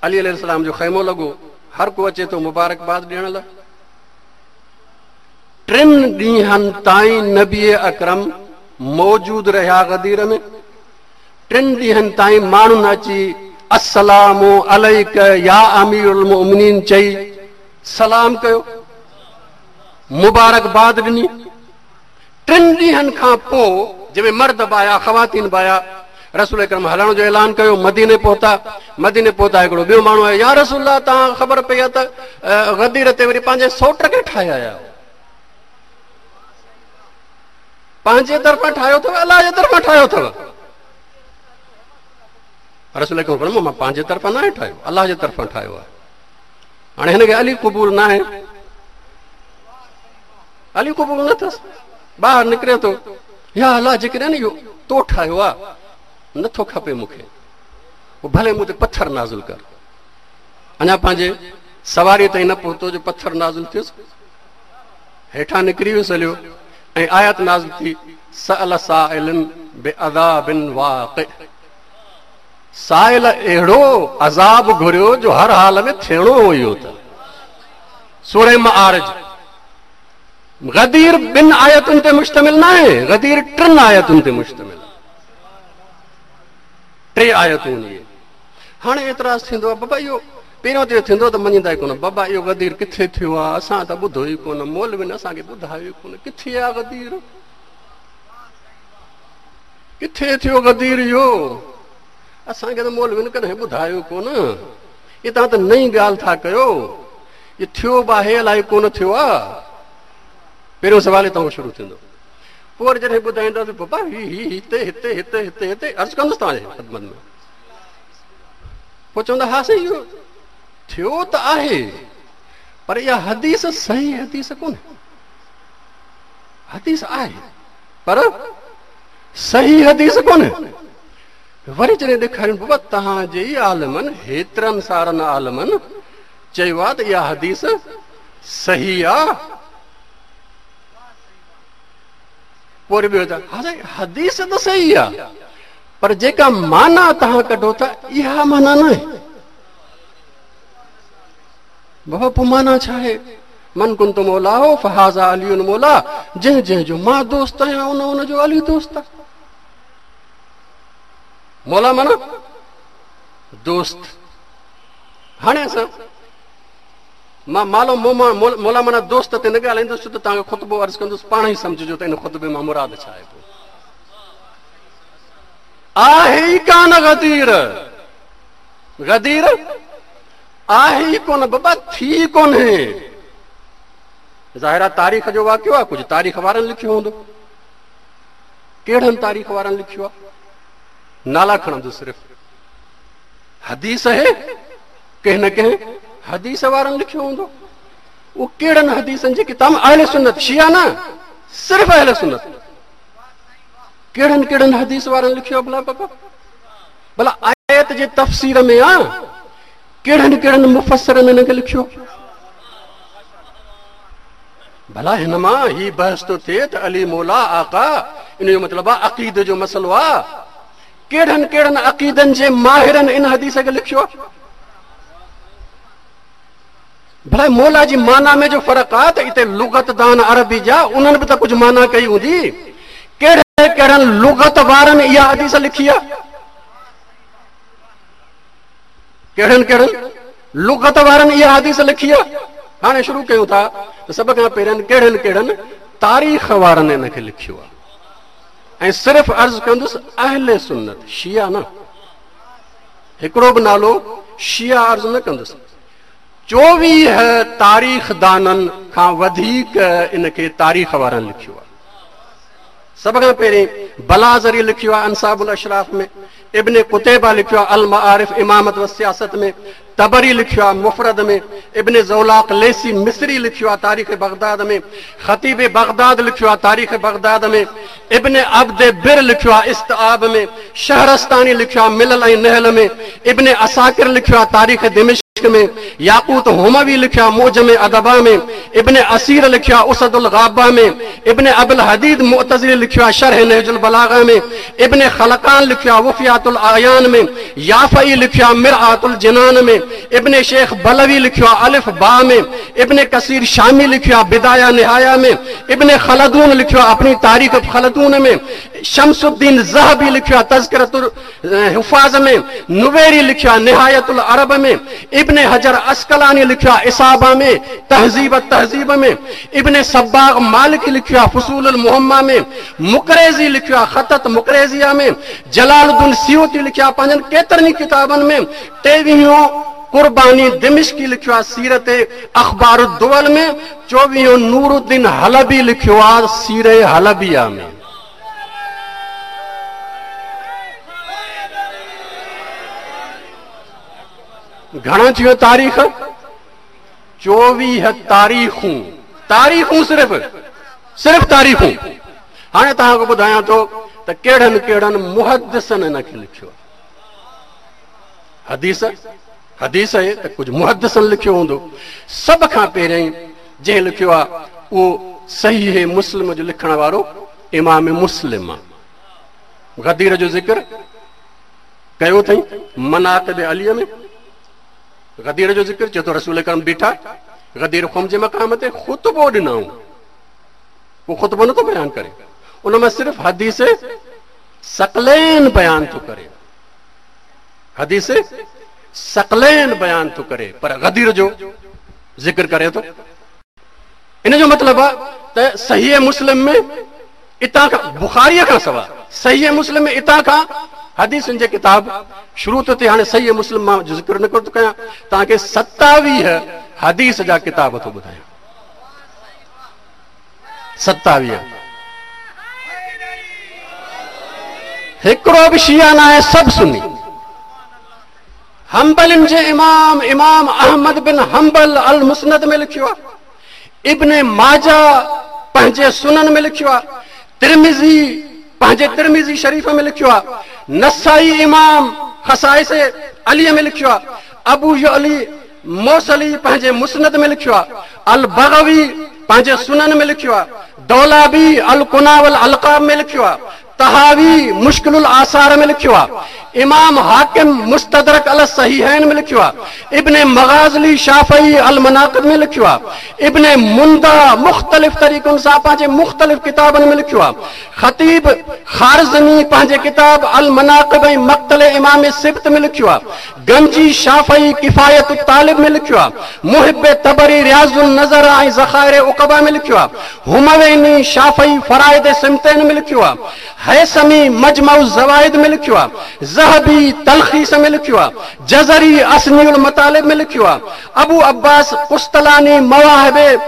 علي عليه السلام جو خيمو لڳو، هر ڪو اچي ٿو مبارڪباد ڏيڻ لاء. 3 ڏينهن تائين نبي اڪرم موجود رهيا غدير ۾. 3 ڏينهن تائين ماڻهن اچي السلام عليڪ يا امير المؤمنين چئي سلام ڪيو، مبارڪباد ڏني. 3 ڏينهن کان پوء جنهن ۾ مرد به آيا خواتين به آيا، رسول اڪرم هلڻ جو اعلان ڪيو، مديني پهتا. مديني پهتا هڪڙو ٻيو ماڻهو آيو، يا رسول الله توهان خبر پئي آهي ته غدير تي وري پنهنجي سوٽ کي ٺاهي آيا آهيو، پنهنجي طرفان ٺاهيو اٿو الله جي طرفان ٺاهيو اٿو؟ رسول اڪرم فرمايو مان پنهنجي طرفان ناهي ٺاهيو، الله جي طرفان ٺاهيو آهي. هاڻي هن کي علي قبول ناهي، علي قبول نه اٿس، ٻاهر نڪري ٿو، يا الله جيڪڏهن اهو تو ٺاهيو آ نٿو کپي مون کي، پوء ڀلي مون تي پٿر نازل ڪر. اڃا پنهنجي سواري تائين نه پهتو جو پٿر نازل ٿيس، هيٺان نڪري ويس هليو ۽ آيت نازل ٿي، سأل سائل بعذاب واقع. سائل اهڙو عذاب گهريو جو هر حال ۾ ٿيڻو هو اهو. ته سورة معارج غدير 2 آيتن تي مشتمل ناهي، غدير 3 آيتن تي مشتمل آهي. ٽي آيتون اهي. هاڻي اعتراض ٿيندو آهي، بابا اهو پهريون ته اهو ٿيندو ته مڃيندا ئي ڪونه، بابا اهو غدير ڪٿي ٿيو آهي، اسان ته ٻڌو ئي ڪونه، مولوين اسان کي ٻڌايو ئي ڪونه، ڪٿي آهي غدير، ڪٿي ٿيو غدير اهو، اسان کي ته مولوين ڪڏهن ٻڌايو ڪونه، هي توهان ته نئين ڳالهه ٿا ڪيو، اهو ٿيو به آهي الائي ڪونه ٿيو آهي. پهريون سوال هتان کان شروع ٿيندو. پوء وري جڏهن ٻڌائينداسين بابا هي هي هتي هتي هتي هتي هتي عرض ڪندس توهان جي خدمت ۾، پوء چوندا ها سائين اهو ٿيو ته آهي پر اها حديث صحيح حديث ڪونهي، حديث آهي پر صحيح حديث ڪونهي. وري جڏهن ڏيکارين بابا توهان جي ئي عالمن هيترن سارن عالمن چيو آهي ته اها حديث صحيح آهي، پوء وري ٻيو ته ها سائين حديث ته صحيح آهي پر جيڪا معنيٰ توهان ڪڍو ٿا اها معنيٰ ناهي. بابا پوء معنيٰ ڇا آهي؟ من ڪنت مولاه فهذا علي مولاه، جنهن جنهن جو مان دوست آهيان ان ان جو علي دوست آهي. مولا معنيٰ دوست. هاڻي اسان مان مالو مولا معنيٰ دوست تي نه ڳالهائيندس ڇو ته توهان کي خطبو عرض ڪندس پاڻ ئي سمجهجو ته ان خطبي مان مراد ڇا آهي. پوء آهي ئي ڪانه غدير، غدير آهي ئي ڪونه بابا، ٿي ڪونهي. ظاهر آهي تاريخ جو واقعو آهي، ڪجهه تاريخ وارن لکيو هوندو. ڪهڙن تاريخ وارن لکيو آهي؟ نالا کڻندس صرف. حديث آهي، ڪنهن نه ڪنهن حديث وارن لکيو هوندو. اهو ڪهڙن حديثن جي ڪتاب؟ اهل سنت، شيعا نه، صرف اهل سنت. ڪهڙن ڪهڙن حديث وارن لکيو آهي ڀلا بابا؟ ڀلا آيت جي تفسير ۾ آ ڪهڙن ڪهڙن مفسرن هن کي لکيو؟ ڀلا هن مان هي بحث ٿو ٿئي ته علي مولا آقا، ان جو مطلب آ عقيدي جو مسئلو آ. ڪهڙن ڪهڙن عقيدن جي ماهرن ان حديث کي لکيو آ؟ ڀلا مولا جي معنيٰ ۾ جو فرق آ ته اتي لغت دان عربي جا انهن به ته ڪجهه معنيٰ ڪئي هوندي. ڪهڙن ڪهڙن لغت وارن اها حديث لکي آ؟ ڪهڙن ڪهڙن لغت وارن اها حديث لکي آ؟ هاڻي شروع ڪيون ٿا ته سڀ کان پهرين ڪهڙن ڪهڙن تاريخ وارن ان کي لکيو آ. ۽ صرف عرض ڪندس اهل سنت، شيعا نه، هڪڙو به نالو شيعا عرض نه ڪندس. 24 تاريخدانن کان وڌيڪ ان کي تاريخ وارن لکيو آهي. سڀ کان پهرين بلاذري لکيو آهي انساب الاشراف ۾، ابن قتيبه لکيو آهي المعارف امامت و سياست ۾، طبري لکيو آهي مفرد ۾، ابن زولاق ليثي مصري لکيو آهي تاريخ بغداد ۾، خطيب بغداد لکيو آهي تاريخ بغداد ۾، ابن عبد بر لکيو آهي استيعاب ۾، شهرستاني لکيو آهي ملل ۽ نحل ۾، ابن عساڪر لکيو آهي تاريخ دمشق ۾، ياقوت حموي لکيو آهي معجم ادبا ۾، ابن اثير لکيو آهي اسد الغابه ۾، ابن ابي الحديد معتزلي لکيو آهي شرح نهج البلاغه ۾، ابن خلقان لکيو آهي وفيات الاعيان ۾، يافعي لکيو آهي مرآة الجنان ۾، ابن شيخ بلوي لکيو آهي الف باء ۾، ابن ڪثير شامي لکيو آهي بدايه نهايه ۾، ابن خلدون لکيو آهي اپني تاريخ خلدون ۾، شمس الدين ذهبي لکيو آهي تذڪرة الحفاظ ۾، نويري لکيو آهي نهاية العرب ۾، ابن حجر عسقلاني لکيو آهي اصابه ۾، تهذيب التهذيب ۾، ابن صباغ مالڪي لکيو آهي فصول المهمه ۾، مقريظي لکيو آهي خطط مقريظيه ۾، جلال الدين سيوطي لکيو آهي پنهنجن ڪيترن ئي ڪتابن ۾، ٽيويهون قرباني دمشقي لکيو آهي سيرت اخبار الدول ۾، چوويهون نور الدين حلبي لکيو آهي سيره حلبيه ۾. گهڻا ٿيون تاريخ؟ 24 تاريخون، تاريخون صرف صرف تاريخون. هاڻي توهان کي ٻڌايان ٿو ته ڪهڙن ڪهڙن محدثن هن کي لکيو آهي. حديث حديث آهي ته ڪجهه محدثن لکيو هوندو. سڀ کان پهريائين جنهن لکيو آهي اهو صحيح مسلم جو لکڻ وارو امام مسلم آهي. غدير جو ذڪر ڪيو اٿئي مناقب علي ۾. غدير جو ذڪر چئي ٿو رسول اڪرم بيٺا غدير خم جي مقام تي خطبو ڏنائون. هو خطبو نٿو بيان ڪري، ان مان صرف حديث ثقلين بيان ٿو ڪري. حديث ثقلين بيان ٿو ڪري پر غدير جو ذڪر ڪري ٿو. ان جو مطلب آهي ته صحيح مسلم ۾ اتان کان بخاريء کان سواء صحيح مسلم ۾ اتان کان حديثن جي ڪتاب شروع ٿو ٿئي. هاڻي صحيح مسلم مان جو ذڪر نه ٿو ڪيان، توهان کي 27 حديث جا ڪتاب ٿو ٻڌايان. 27 هڪڙو به شيعا نه آهي، سڀ سني. حنبلين جي امام امام احمد بن حنبل المسند ۾ لکيو آهي، ابن ماجه پنهنجي سنن ۾ لکيو آهي، ترمذي پنهنجي ترمذي شريف ۾ لکيو آهي، نسائي امام خصائص علي ۾ لکيو آهي، ابو يعلي موصلي پنهنجي مسند ۾ لکيو آهي، البغوي پنهنجي سنن ۾ لکيو آهي، دولابي الڪنا والالقاب ۾ لکيو آهي، طحاوي مشڪل الاثار ۾ لکيو آهي، امام حاڪم مستدرڪ علي الصحيحين ۾ لکيو آهي، ابن مغازلي شافعي المناقب ۾ لکيو آهي، ابن منده مختلف طريقن سان پنهنجي مختلف ڪتابن ۾ لکيو آهي، خطيب خوارزمي پنهنجي ڪتاب المناقب ۽ مقتل امام سبط ۾ لکيو آهي، گنجي شافعي ڪفايت الطالب ۾ لکيو آهي، محب طبري رياض النظر ۽ ذخائر عقبيٰ ۾ لکيو آهي، همويني شافعي فرائض سمتين ۾ لکيو آهي، هيثمي مجمع الزوائد ۾ لکيو آهي، ذهبي تلخيص ۾ لکيو آهي، جزري اثني المطالب ۾ لکيو آهي، ابو عباس قسطلاني مواهب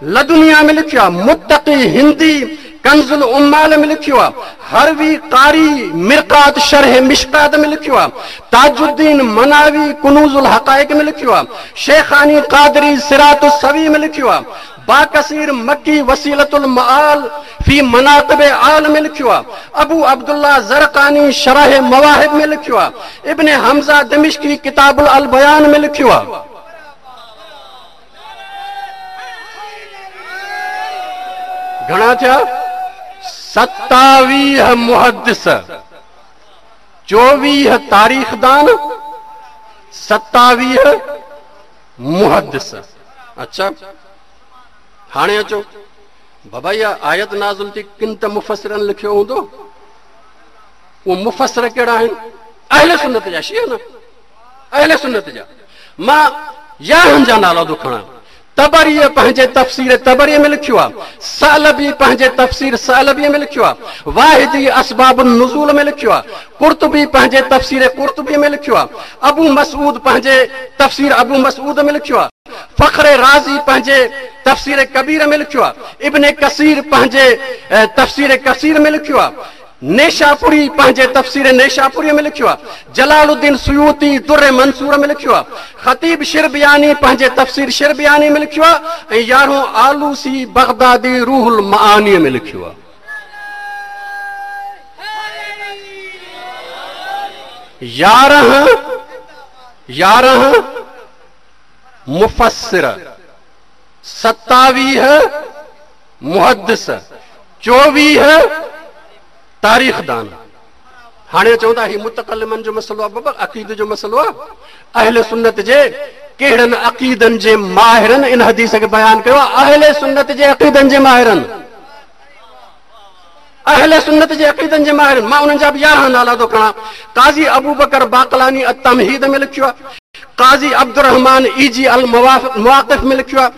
لدنيه ۾ لکيو آهي، متقي هندي ڪنز العمال ۾ لکيو آهي، هروي قاري مرقات شرح مشڪات ۾ لکيو آهي، تاج الدين مناوي ڪنوز الحقائق ۾ لکيو آهي، شيخاني قادري صراط السوي ۾ لکيو آهي، باڪثير مڪي وسيلة المآل في مناقب آل ۾ لکيو آهي، ابو عبدالله زرقاني شرح مواهب ۾ لکيو آهي، ابن حمزه دمشقي ڪتاب البيان ۾ لکيو آهي. گهڻا ٿيا؟ 27 محدث، 24 تاريخدان، 27 محدث. اڇا هاڻي اچو بابا، اها آيت نازل ٿي، ڪن ته مفسرن لکيو هوندو. اهي مفسر ڪهڙا آهن؟ اهل سنت جا شيعا نه، اهل سنت جا. مان 11 جا نالا ٿو کڻان. طبريء پنهنجي تفسير طبريء ۾ لکيو آهي، ثعلبي پنهنجي تفسير ثعلبيء ۾ لکيو آهي، واحدي اسباب النزول ۾ لکيو آهي، قرطبي پنهنجي تفسير قرطبيء ۾ لکيو آهي، ابو مسعود پنهنجي تفسير ابو مسعود ۾ لکيو آهي، فخر رازي پنهنجي تفسير ڪبير ۾ لکيو آهي، ابن ڪثير پنهنجي تفسير ڪثير ۾ لکيو آهي، نيشاپوري پنهنجي تفسير نيشاپوريء ۾ لکيو آهي، جلال الدين سيوطي در منثور ۾ لکيو آهي، خطيب شربياني پنهنجي تفسير شربياني ۾ لکيو آهي ۽ يارهون آلوسي بغدادي روح المعانيء ۾ لکيو آهي. يارهن 11 مفسر، 27 محدث، 24 تاريخدان. هاڻي چون ٿا هي متڪلمن جو مسئلو آهي. بابا عقيدي جو مسئلو آهي. اهل سنت جي ڪهڙن عقيدن جي ماهرن ان حديث کي بيان ڪيو آهي؟ اهل سنت جي عقيدن جي ماهرن، اهل سنت جي عقيدن جي ماهرن. مان انهن جا به 11 نالا ٿو کڻان. قاضي ابوبڪر باقلاني التمهيد ۾ لکيو آهي، قاضي عبدالرحمان ايجي المواقف ۾ لکيو آهي،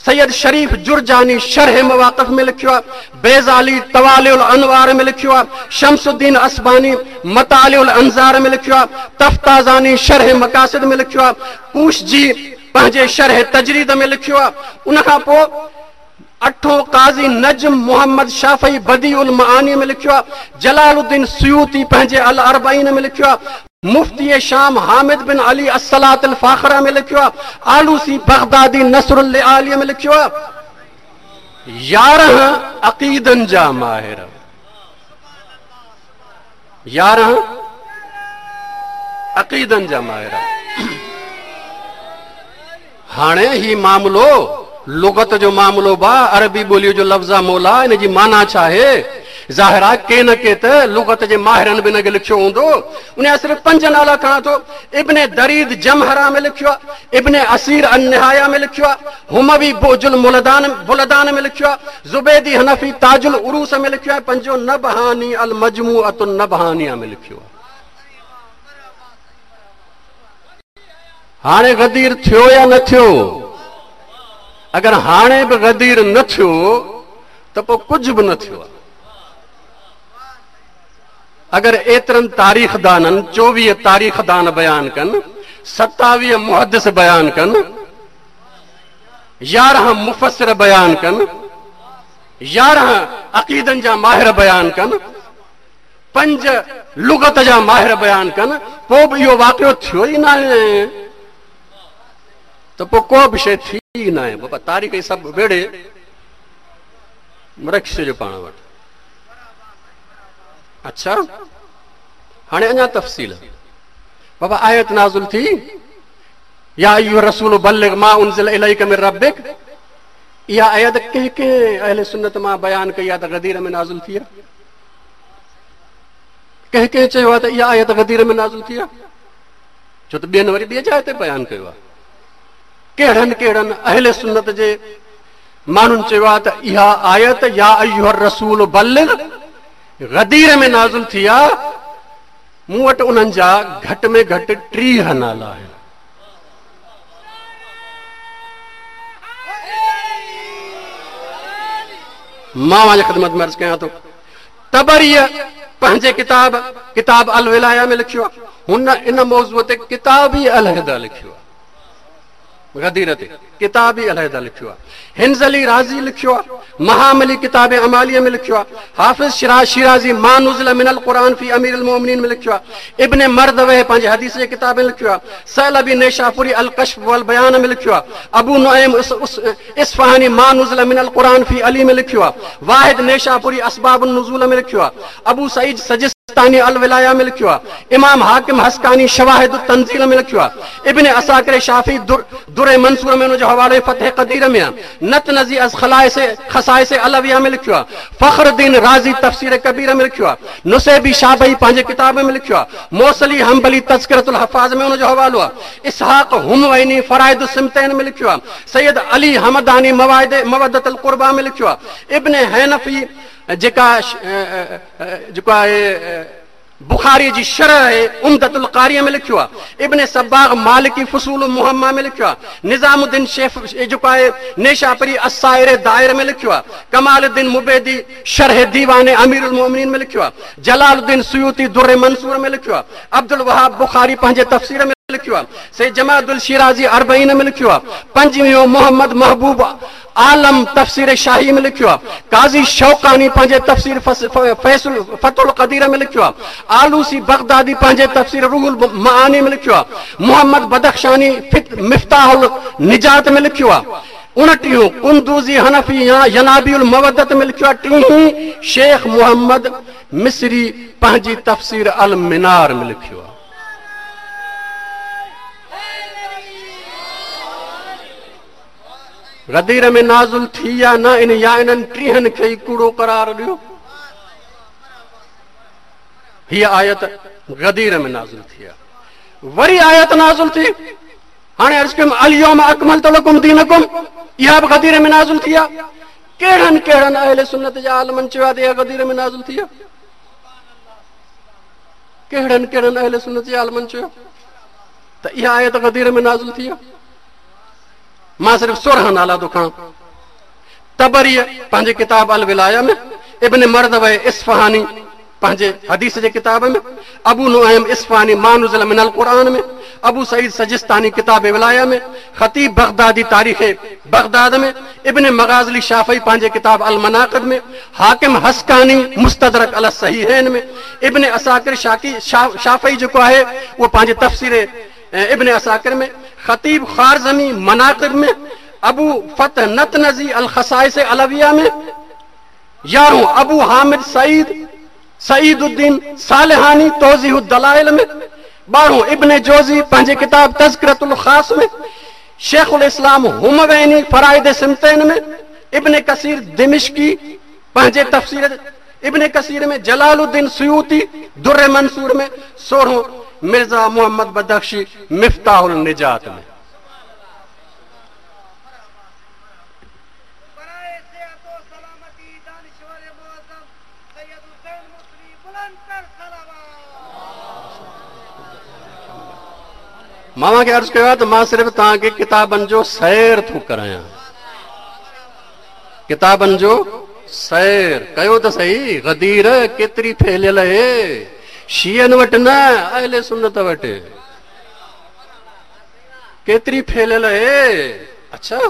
سيد شريف جرجاني شرح مواقف ۾ لکيو آهي، بيضالي طوالع الانوار ۾ لکيو آهي، شمس الدين اسباني مطالع الانظار ۾ لکيو آهي، تفتازاني شرح مقاصد ۾ لکيو آهي، قوشجي پنهنجي شرح تجريد ۾ لکيو آهي. ان کان پوء اٺون قاضي نجم محمد شافعي بديع المعاني ۾ لکيو آهي، جلال الدين سيوطي پنهنجي الاربعين ۾ لکيو آهي، مفتي شام حامد بن علي الصلاة الفاخره ۾ لکيو آهي، آلوسي بغدادي نصر اللآلي ۾ لکيو آهي. 11 عقيدن جا ماهر، 11 عقيدن جا ماهر. هاڻي هي معاملو لغت جو معاملو با، عربي ٻوليء جو لفظ آ مولا، ان جي معنيٰ ڇا آهي؟ ظاهر آ ڪي نه ڪي ته لغت جي ماهرن به ان کي لکيو هوندو. ان جا صرف 5 نالا کڻان ٿو. ابن دريد جمهرا ۾ لکيو آ، ابن اسير النهايه ۾ لکيو آ، هموي بعج البلدان ۾ لکيو آ، زبيدي حنفي تاج العروس ۾ لکيو آ، پنجون نبهاني المجموعة النبهانيه ۾ لکيو آ. हाणे ग़दीर थियो या न थियो? अगरि हाणे बि ग़दीर न थियो त पोइ कुझु बि न थियो आहे। अगरि एतिरनि तारीख़दाननि 24 तारीख़दान बयानु कनि, 27 मुहद्दिस बयानु कनि, 11 मुफ़सिर बयानु कनि, 11 अक़ीदनि जा माहिर बयानु कनि, 5 लुगत जा माहिर बयानु कनि, पोइ बि इहो वाक़ियो थियो ई न आहे त पोइ को बि शइ थी ई न आहे। बाबा तारीख़ सभु वेड़े रखी छॾियो पाण वटि। अच्छा हाणे अञा तफ़सील बाबा आयत नाज़िल थी, या अय्युहा रसूल बल्लिग मा उनज़िल इलैका मिन रब्बिक। इहा आयत कंहिं कंहिं अहले सुन्नत मां बयानु कई आहे त ग़दीर में नाज़िल थी आहे? कंहिं कंहिं चयो आहे त इहा आयत ग़दीर में नाज़िल थी आहे? छो त ॿियनि वरी ॿिए जाइ ते बयानु कयो आहे। कहिड़नि कहिड़नि अहले सुन्नत जे माण्हुनि चयो आहे त इहा आयत या अय्युहा रसूल बल्लिग ग़दीर में नाज़िल थी आहे। मूं वटि उन्हनि जा घटि में घटि 30 नाला आहिनि। मां तव्हांजी ख़िदमत में अर्ज़ु कयां थो, तबरीअ पंहिंजे किताब किताब अल विलाया में लिखियो आहे, हुन इन मौज़ूअ ते किताब ई अलहिदा लिखियो आहे, ग़दीर ते किताब ई अलहिदा लिखियो आहे। हिंज़ली राज़ी लिखियो आहे, महामली किताब अमालिया में लिखियो आहे, हाफ़िज़ शिराज़ी मा नुज़िल मिनल क़ुरान फ़ी अमीरुल मोमिनीन में लिखियो आहे, इब्न मर्दवे पंहिंजे हदीस जे किताब में लिखियो आहे, सैलबी नेशापुरी अल कश्फ़ वल बयान में लिखियो आहे, अबू नुऐम इस्फ़हानी मा नुज़िल मिनल क़ुरान फ़ी अली में लिखियो आहे, वाहिद नेशापुरी असबाबुन नुज़ूल में लिखियो आहे, अबू सईद सजिस्तानी अल विलाया में लिखियो आहे, इमाम हाकिम हस्कानी शवाहिद तंज़ील में लिखियो आहे, इब्न असाकिर शाफ़ी दुर मंसूर में उनजो हवालो फतह कदीर में आहे, नतनज़ी अज़ खसाइस अलविया में लिखियो आहे, फ़ख़रुद्दीन राज़ी तफ़सीर कबीर में लिखियो आहे, नुसैबी शाबई पंहिंजे किताब में लिखियो आहे, मौसली हम्बली तज़किरतुल हफ़ाज़ में उनजो हवालो आहे, इसहाक़ हुमवैनी फ़राइद सिमतैन में लिखियो आहे, सैयद अली हमदानी मवद्दतुल क़ुर्बा में लिखियो आहे, इब्न हनफी जेका जेको आहे बुखारी जी शरह आहे उमदतुल क़ारी में लिखियो आहे, इब्न सब्बाग़ मालिकी फुसूल मुहम्मा में लिखियो आहे, निज़ामुद्दीन शेख जेको आहे नेशापरी अस्साइर दायर में लिखियो आहे, कमालुद्दीन मुबैदी शरह दीवान अमीरुल मोमिनीन में लिखियो आहे, जलालुद्दीन सुयूती दुर मंसूर में लिखियो आहे, अब्दुल वहाब बुखारी पंहिंजे तफ़सीर में लिखियो आहे, सैयद जमादुल शिराज़ी अरबईन में लिखियो आहे, पंजवीहों मोहम्मद महबूब आलम तफ़सीर शाही में लिखियो आहे, काज़ी शौकानी पंहिंजे तफ़सीर फतुल कदीर में लिखियो आहे, आलूसी बगदादी पंहिंजे तफ़सीर रूहुल माआनी में लिखियो आहे, मोहम्मद बदख्शानी मिफ्ताहुल निजात में लिखियो आहे, 29 कुंदूजी हनफी या यनाबीउल मवद्दत में लिखियो आहे, 30 शेख मोहम्मद मिस्री पंहिंजी तफ़सीर अल मिनार में लिखियो आहे। ग़दीर में नाज़िल थी या न, इन या इन्हनि 30 खे ई कूड़ो करार ॾियो। हीअ आयत ग़दीर में नाज़िल थी आहे। वरी आयत नाज़िल थी, हाणे अर्ज़ु कयुमि अल-यौम अकमलतु लकुम दीनकुम, इहा बि ग़दीर में नाज़िल थी आहे। कहिड़नि कहिड़नि अहले सुन्नत जा आलमनि चयो आहे त इहा ग़दीर में नाज़िल थी आहे? कहिड़नि कहिड़नि अहले सुन्नत जे आलमनि चयो त इहा आयत ग़दीर में नाज़िल थी आहे? मां सिर्फ़ 16 नाला थो खणां। तबरीअ पंहिंजे किताब अल विलाया में, इब्न मर्दवे इस्फ़हानी पंहिंजे हदीस जे किताब में, अबू नुऐम इस्फ़हानी मा नुज़िल मिनल क़ुरान में, अबू सईद सजिस्तानी किताब विलाया में, ख़तीब बगदादी तारीख़ बगदाद में, इब्न मगाज़ली शाफ़ई पंहिंजे किताब अल मनाक़िब में, हाकिम हस्कानी मुस्तदरक अल सहीहैन में, इब्न असाकिर शाफ़ई जेको आहे उहो पंहिंजे तफ़सीर इब्न असाकिर में, ख़तीब ख़्वारज़मी मनाक़िब में, अबू फतह नतनज़ी अल खसाइस अलविया में, 11 अबू हामिद सईद सईदुद्दीन सालिहानी तौज़ीहुद दलाइल में, 12 इब्न जोज़ी पंहिंजे किताब तज़किरतुल ख़ास में, शेखुल इस्लाम हुमवैनी फ़राइद सिमतैन में, इब्न कसीर दिमिश्की पंहिंजे तफ़सीर इब्न कसीर में, जलालुद्दीन सुयूती दुर मंसूर में, 16 मिर्ज़ा मोहम्मद बदख्शी मिफ्ताहुल निजात में। مان اوهان کي عرض ڪيو آهي ته مان صرف توهان کي ڪتابن جو سير ٿو ڪرايان. ڪتابن جو سير ڪيو ته سهي، غدير ڪيتري ڦهليل اهي، شيعن وٽ نه، اهل سنت وٽ ڪيتري ڦهليل اهي. اڇا،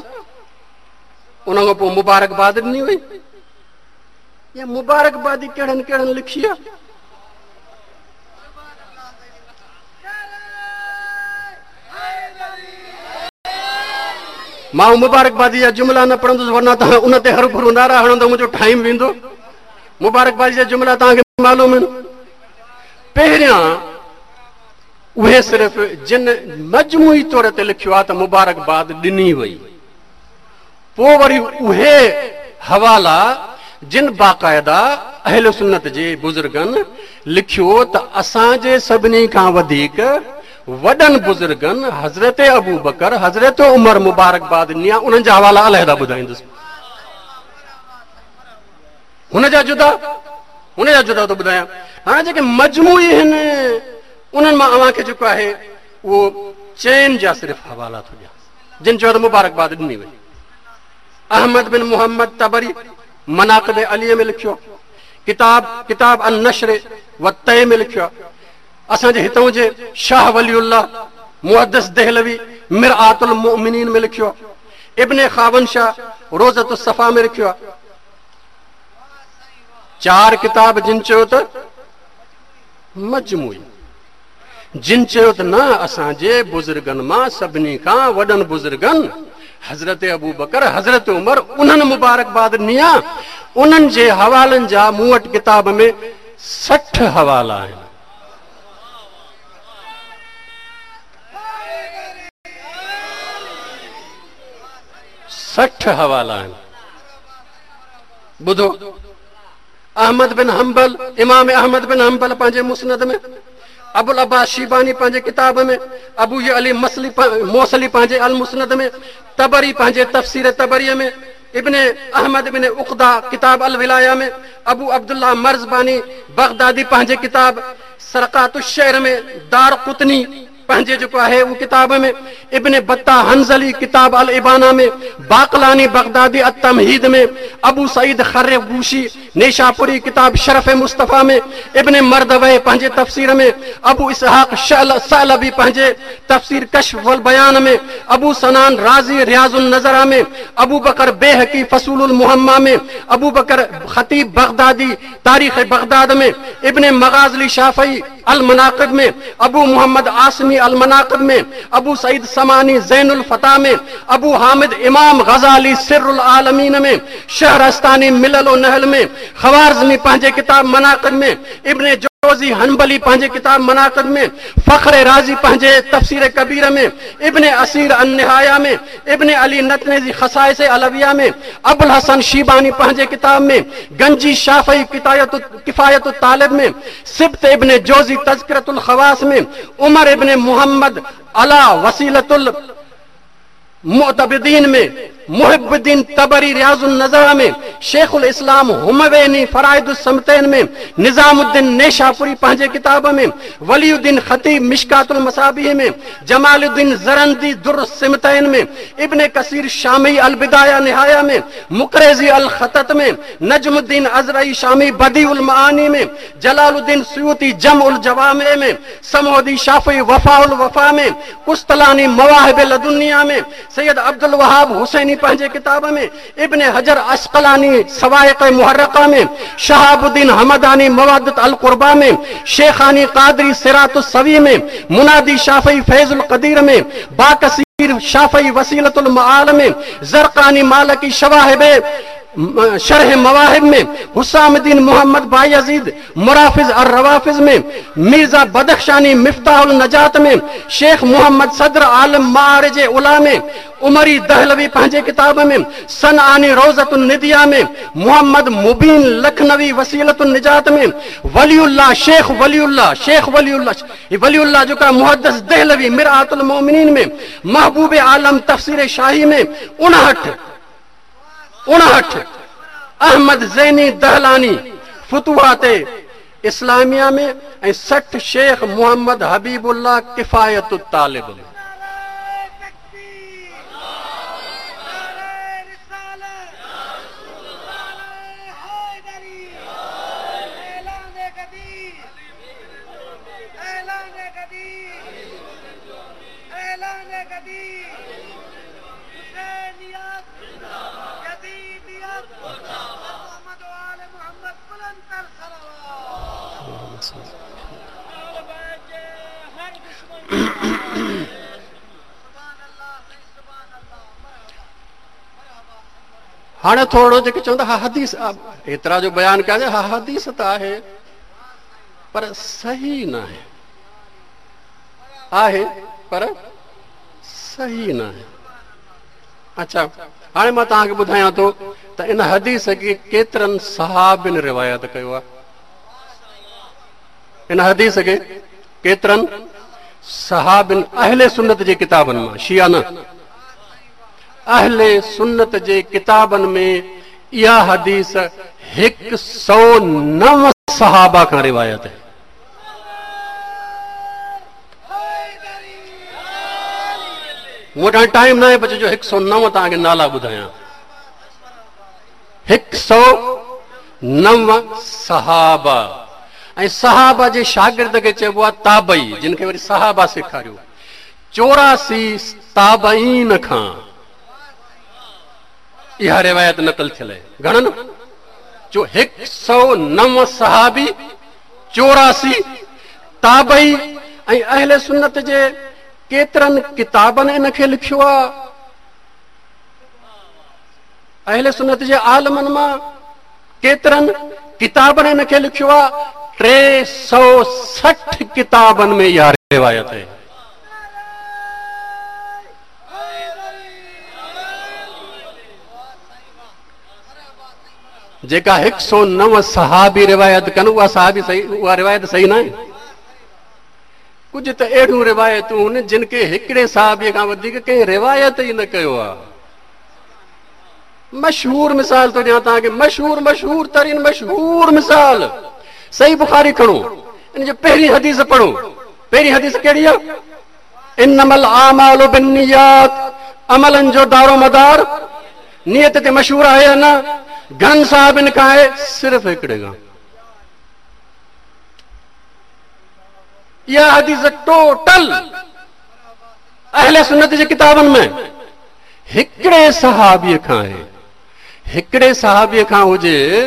ان کان پوء مبارڪباد ڏني وئي. اها مبارڪبادي ڪهڙن ڪهڙن لکي آهي؟ مان مبارڪبادي جا جملا نه پڙهندس ورنه توهان ان تي هرڀرو نعرا هڻندو، منهنجو ٽائيم ويندو. مبارڪبادي جا جملا توهان کي معلوم آهن. پهريان اهي صرف جن مجموعي طور تي لکيو آهي ته مبارڪباد ڏني وئي، پوء وري اهي حوالا جن باقاعده اهل سنت جي بزرگن لکيو ته اسان جي سڀني کان وڌيڪ وڏن بزرگن حضرت ابوبڪر، حضرت عمر مبارڪباد ڏني آهي، انهن جا حوالا علحده ٻڌائيندس. هن جا جدا، هن جا جدا ٿو ٻڌايان. هاڻي جيڪي مجموعي آهن انهن مان اوهان کي جيڪو آهي اهو چئن جا صرف حوالا ٿو ڏيان جن چيو ته مبارڪباد ڏني وئي. احمد بن محمد طبري مناقب علي ۾ لکيو، ڪتاب ڪتاب النشر والطي ۾ لکيو. اسان جي هتون جي شاهه ولي الله محدث دهلوي مرآة المؤمنين ۾ لکيو، ابن خاون شاهه روضة الصفا ۾ لکيو. چار ڪتاب جن چيو ته مجموعي، جن چيو ته نه اسان جي بزرگن مان سڀني کان وڏن بزرگن حضرت ابوبڪر، حضرت عمر انهن مبارڪباد ڏني آ، انهن جي حوالن جا مون وٽ ڪتاب ۾ 60 حوالا آهن. 60 حوالا آهن. ٻڌو، احمد بن حنبل، امام احمد بن حنبل پنهنجي مسند ۾، ابو العباس شيباني پنهنجي ڪتاب ۾، ابو علي موصلي پنهنجي المسند ۾، طبري پنهنجي تفسير طبريء ۾، ابن احمد بن عقده ڪتاب الولايه ۾، ابو عبدالله مرزباني بغدادي پنهنجي ڪتاب سرقات الشعر ۾، دار قطني پنهنجي جيڪو آهي اهو ڪتاب ۾، ابن بطه حنظلي ڪتاب الابانه ۾، باقلاني بغدادي التمهيد ۾، ابو سعيد خرگوشي نيشاپوري ڪتاب شرف مصطفيٰ ۾، ابن مردويه پنهنجي تفسير ۾، ابو اسحاق ثعلبي پنهنجي تفسير ڪشف والبيان ۾، ابو سنان رازي رياض النظره ۾، ابو بڪر بيهقي فصول المحمه ۾، ابو بڪر خطيب بغدادي تاريخ بغداد ۾، ابن مغازلي شافعي المناقب ۾، ابو محمد عاصمي المناقب ۾، ابو سعيد سماني زين الفتا ۾، ابو حامد امام غزالي سر العالمين ۾، شهرستاني ملل و نحل ۾، خوارزمي پنهنجي ڪتاب مناقب ۾، ابن جوزي حنبلي پنهنجي ڪتاب مناقب ۾، فخر رازي پنهنجي تفسير ڪبير ۾، ابن اثير النهايه ۾، ابن علي نتنيزي خصائص علويه ۾، ابوالحسن شيباني پنهنجي ڪتاب ۾، گنجي شافعي ڪفايت الطالب ۾، سبط ابن جوزي تذڪرة الخواص ۾، عمر ابن محمد علا وسيلة المعتبدين ۾، محب الدين طبري رياض النظره ۾، شيخ الاسلام همويني فرائد السمتين ۾، نظام الدين نيشاپوري پنهنجي ڪتاب ۾، ولي الدين خطيب مشڪات المصابيح ۾، جمال الدين زرندي در السمتين ۾، ابن ڪثير شامي البدايه نهايه ۾، مقريزي الخطط ۾، نجم الدين ازرعي شامي بديع المعاني ۾، جلال الدين سيوطي جمع الجوامع ۾، سمعودي شافعي وفاء الوفا ۾، قسطلاني مواهب لدنيه ۾، سيد عبدالوهاب حسيني پنهنجي ڪتاب ۾، ابن حجر عسقلاني صواعق محرقه ۾، شهاب الدين همداني مودة القربيٰ ۾، شيخاني قادري صراط السوي ۾، منادي شافعي فيض القدير ۾، باڪثير شافعي وسيلة المعال ۾، زرقاني مالڪي شواهب شرح مواهب ۾، حسام الدين محمد بايزيد مرافض الروافض ۾، ميرزا بدخشاني مفتاح النجات ۾، شيخ محمد صدر عالم معارج علا ۾، عمري دهلوي پنهنجي ڪتاب ۾، صنعاني روضة النديه ۾، محمد مبين لکنوي وسيلة النجات ۾، ولي الله شيخ ولي الله شيخ ولي الله ولي الله جيڪا محدث دهلوي مرآة المؤمنين ۾، محبوب عالم تفسير شاهي ۾، 59 احمد زيني دهلاني فتوحات اسلاميه ۾ ۽ 60 شيخ محمد حبيب الله ڪفايت الطالب ۾. हाणे थोरो जेके चवंदा हा हदीस एतिरा जो बयानु कयासीं, हा हदीस त आहे पर सही न आहे, आहे पर सही न आहे। अच्छा हाणे मां तव्हांखे ॿुधायां थो त इन हदीस खे केतिरनि सहाबिनि रिवायत कयो आहे। इन हदीस खे केतिरनि सहाबिनि अहले सुन्नत जे किताबनि मां, शिया न, अहले सुन्नत जे किताबनि में इहा हदीस 109 सहाबा खां रिवायत आहे। मूं वटि हाणे टाइम न आहे बचे जो 109 तव्हांखे नाला ॿुधायां। 109 सहाबा ऐं सहाबा जे शागिर्द खे चइबो आहे ताबई, जिन खे वरी सहाबा सेखारियो। 84 ताबईन खां इहा रिवायत नक़ल थियल आहे। घणनि? जो 109 सहाबी, 84 ताबई ऐं अहले सुन्नत जे केतिरनि किताबनि इन खे लिखियो आहे। अहले सुन्नत जे आलमनि मां केतिरनि किताबनि इन खे लिखियो आहे। 360 किताबनि में इहा रिवायत आहे। जेका 109 सहाबी रिवायत कनि उहा सहाबी सही, उहा रिवायत सही न आहे। कुझु त अहिड़ियूं रिवायतूं आहिनि जिन खे हिकिड़े सहाबीअ खां वधीक कंहिं रिवायत ई न कयो आहे। मशहूर मिसाल थो ॾियां तव्हांखे, मशहूर मशहूर तरीन मशहूर मिसाल सही बुखारी खणो, इन जो पहिरीं हदीस पढ़ो। पहिरीं हदीस कहिड़ी आहे? इन्नमल आमालु बिन्नियात, अमलनि जो दारो मदार नियत ते मशहूर आहे या न? घणनि साहिबनि खां आहे, सिर्फ़ हिकिड़े खां। इहा हदीस टोटल अहले सुन्नत जे किताबनि में हिकिड़े सहाबीअ खां आहे। हिकिड़े सहाबीअ खां हुजे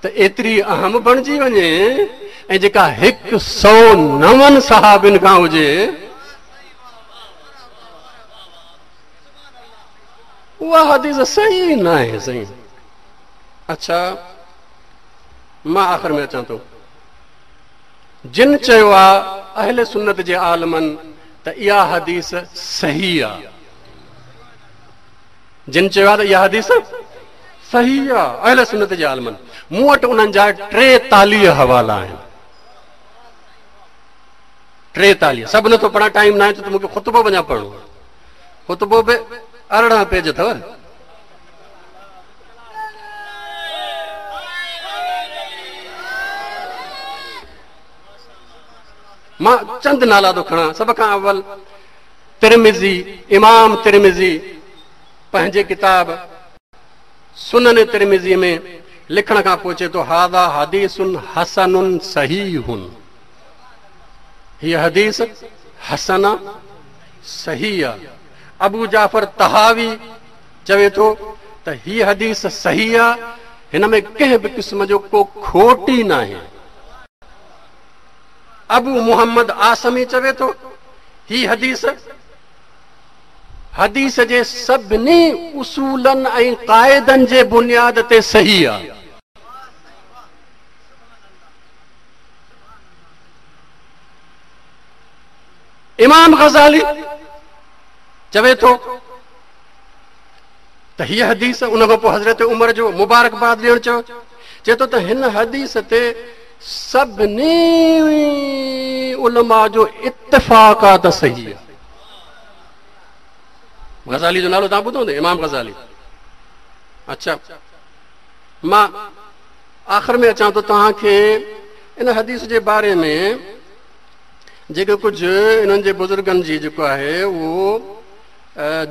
त एतिरी अहम बणिजी वञे, ऐं जेका 109 सहाबिनि खां हुजे उहा हदीस सही न आहे। सही। अच्छा मां आख़िर में अचां थो। जिन चयो आहे अहले सुन्नत जे आलमनि त इहा हदीस सही आहे, जिन चयो आहे त इहा हदीस सही आहे अहले सुन्नत जे आलमनि, मूं वटि उन्हनि जा 43 हवाला आहिनि। 43 सभु नथो पढ़ां, टाइम न आहे त मूंखे ख़ुतबो वञा पढ़णो आहे। ख़ुतबो बि 18 पेज अथव। मां चंद नाला थो खणां। सभ खां अवल तिरमिज़ी, इमाम तिरमिज़ी पंहिंजे किताब सुनन तिरमिज़ी में लिखण खां पोइ चए थो हाज़ा हदीसुन हसनुन सहीहुन, हीअ हदीस हसन सही आहे। अबू जाफ़र तहावी चवे थो त हीअ हदीस सही आहे, हिन में कंहिं बि क़िस्म जो को खोट ई न आहे। अबू मोहम्मद आसमी चवे थो ही हदीस हदीस जे सभिनी उसूलनि ऐं क़ाइदनि जे बुनियाद ते सही आहे। इमाम गज़ाली चवे थो त हीअ हदीस, उन खां पोइ हज़रत उमर जो मुबारकबाद ॾियणु चयो, चए थो त हिन हदीस ते सभिनी उलमा जो इत्तिफ़ाक़ आहे त सही आहे। गज़ाली जो नालो तव्हां ॿुधो हूंदो, इमाम गज़ाली। अच्छा मां आख़िर में अचां थो तव्हांखे इन हदीस जे बारे में जेके कुझु इन्हनि जे बुज़ुर्गनि जी जेको आहे उहो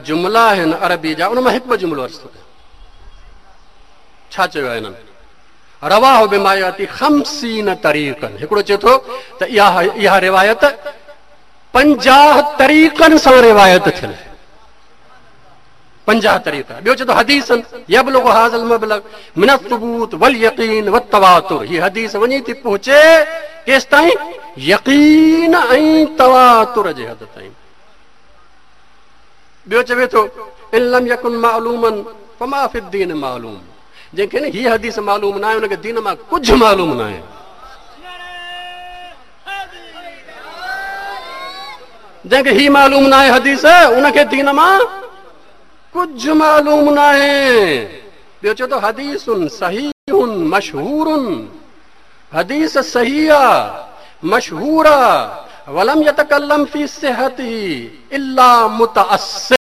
जुमिला आहिनि अरबी जा, उन मां हिकु ॿ जुमिलो अर्ज़ु थो कयां। छा चयो आहे हिननि? रवाह बिमायाती 50 तरीक़नि। हिकिड़ो चए थो त इहा इहा रिवायत 50 طريقن سان روايت ٿيل آهي. 50 طريقا. ٻيو چئي ٿو حديث يبلغ هذا المبلغ من الثبوت واليقين والتواتر، هي حديث وڃي ٿي پهچي ڪيستائين؟ يقين ۽ تواتر جي حد تائين. ٻيو چوي ٿو ان لم يڪن معلوما فما في الدين معلوم، جنهن کي نه هي حديث معلوم ناهي ان کي دين مان ڪجهه معلوم ناهي. جنهن کي هي معلوم ناهي حديث ان کي دين مان ڪجهه معلوم ناهي. ٻيو چئي ٿو حديث صحيح مشهور، حديث صحيح آ مشهور آ، ولم يتڪلم في صحته الا متعصب.